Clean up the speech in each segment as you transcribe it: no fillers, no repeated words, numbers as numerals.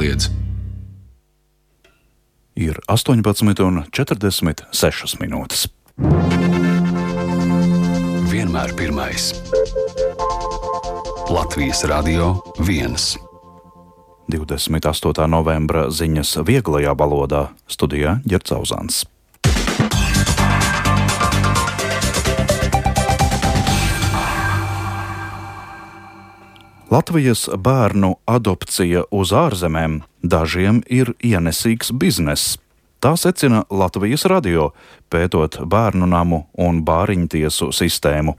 jākliedz. Ir 18,46 minūtes. Vienmēr pirmais. Latvijas Radio 1. 28. novembra ziņas vieglajā valodā. Studijā Ģerts Auzāns. Latvijas bērnu adopcija uz ārzemēm dažiem ir ienesīgs bizness. Tā secina Latvijas Radio, pētot bērnu namu un bāriņtiesu sistēmu.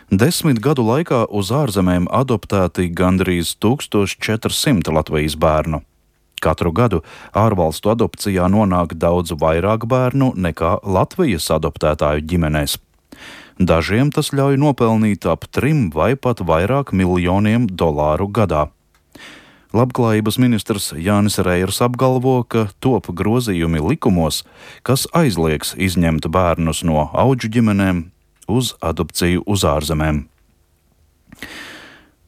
10 gadu laikā uz ārzemēm adoptēti gandrīz 1400 Latvijas bērnu. Katru gadu ārvalstu adopcijā nonāk daudz vairāk bērnu nekā Latvijas adoptētāju ģimenēs. Dažiem tas ļauj nopelnīt ap 3 vai pat vairāk miljoniem dolāru gadā. Labklājības ministrs Jānis Reiers apgalvo, ka top grozījumi likumos, kas aizliegs izņemt bērnus no audžu ģimenēm uz adopciju uz ārzemēm.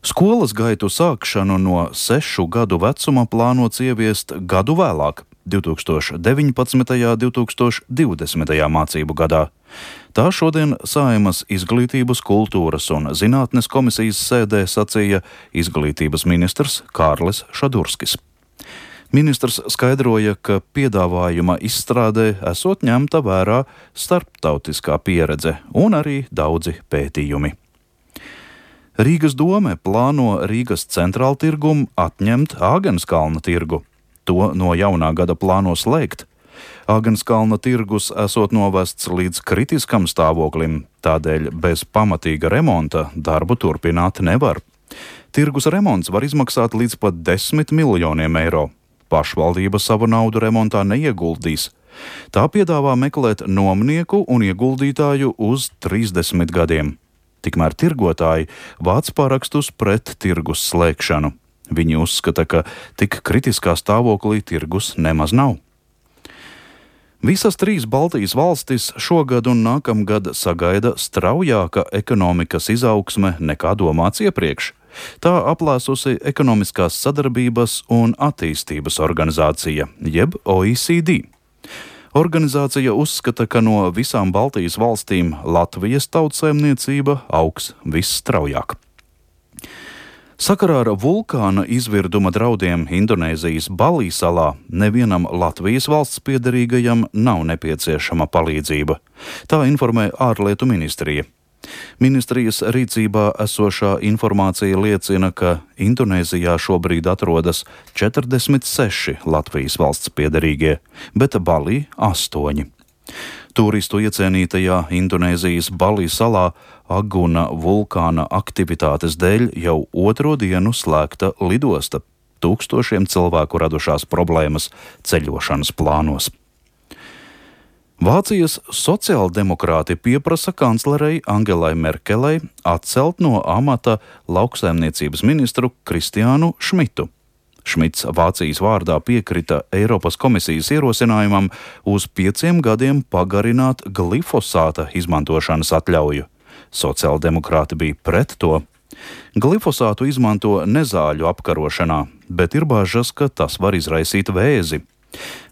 Skolas gaitu sākšanu no 6 gadu vecuma plānots ieviest gadu vēlāk, 2019. un 2020. mācību gadā. Tā šodien Saeimas Izglītības, kultūras un zinātnes komisijas sēdē sacīja izglītības ministrs Kārlis Šadurskis. Ministrs skaidroja, ka piedāvājuma izstrādē esot ņemta vērā starptautiskā pieredze un arī daudzi pētījumi. Rīgas dome plāno Rīgas centrāltirgum atņemt Āgenskalna tirgu. To no jaunā gada plāno slēgt. Āgenskalna tirgus esot novests līdz kritiskam stāvoklim, tādēļ bez pamatīga remonta darbu turpināt nevar. Tirgus remonts var izmaksāt līdz pat 10 miljoniem eiro. Pašvaldība savu naudu remontā neieguldīs. Tā piedāvā meklēt nomnieku un ieguldītāju uz 30 gadiem. Tikmēr tirgotāji vāc parakstus pret tirgus slēgšanu. Viņi uzskata, ka tik kritiskā stāvoklī tirgus nemaz nav. Visas 3 Baltijas valstis šogad un nākamgad sagaida straujāka ekonomikas izaugsme nekā domāts iepriekš. Tā aplēsusi Ekonomiskās sadarbības un attīstības organizācija, jeb OECD. Organizācija uzskata, ka no visām Baltijas valstīm Latvijas tautsaimniecība augs visstraujāk. Sakarā ar vulkāna izvirduma draudiem Indonēzijas Balī salā nevienam Latvijas valsts piederīgajam nav nepieciešama palīdzība. Tā informē ārlietu ministrija. Ministrijas rīcībā esošā informācija liecina, ka Indonēzijā šobrīd atrodas 46 Latvijas valsts piederīgie, bet Balī 8. Turistu iecienītajā Indonēzijas Balī salā Aguna vulkāna aktivitātes dēļ jau 2. dienu slēgta lidosta. Tūkstošiem cilvēku radušās problēmas ceļošanas plānos. Vācijas sociāldemokrāti pieprasa kanclerei Angelai Merkelei atcelt no amata lauksaimniecības ministru Kristiānu Šmitu. Šmits Vācijas vārdā piekrita Eiropas komisijas ierosinājumam uz 5 gadiem pagarināt glifosāta izmantošanas atļauju. Sociāldemokrāti bija pret to. Glifosātu izmanto nezāļu apkarošanā, bet ir bažas, ka tas var izraisīt vēzi.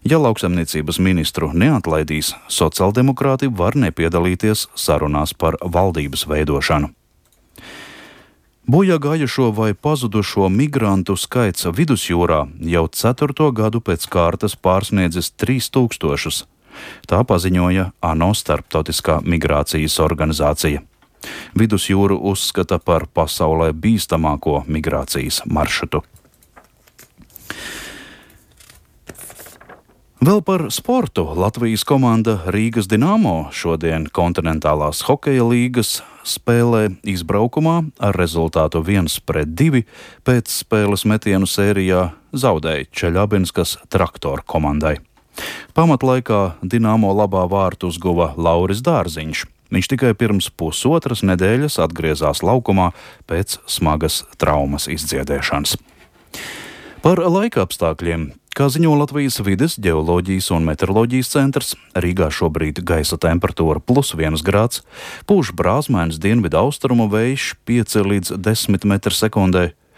Ja lauksaimniecības ministru neatlaidīs, sociāldemokrāti var nepiedalīties sarunās par valdības veidošanu. Bojā gājušo vai pazudušo migrantu skaits vidusjūrā jau 4. gadu pēc kārtas pārsniedzis 3000. Tā paziņoja ANO starptautiskā migrācijas organizācija. Vidusjūru uzskata par pasaulē bīstamāko migrācijas maršrutu. Vēl par sportu. Latvijas komanda Rīgas Dinamo šodien kontinentālās hokeja līgas spēlē izbraukumā ar rezultātu 1-2 pēc spēles metienu sērijā zaudēja Čeļabinskas Traktor komandai. Pamatlaikā Dinamo labā vārtu uzguva Lauris Dārziņš. Viņš tikai pirms pusotras nedēļas atgriezās laukumā pēc smagas traumas izdziedēšanas. Par laika apstākļiem. Kā ziņo Latvijas vides, ģeoloģijas un meteoroloģijas centrs, Rīgā šobrīd gaisa temperatūra +1 grāds, pūš brāzmainas dienvidu austrumu vējš 5 līdz 10 m/sekundē.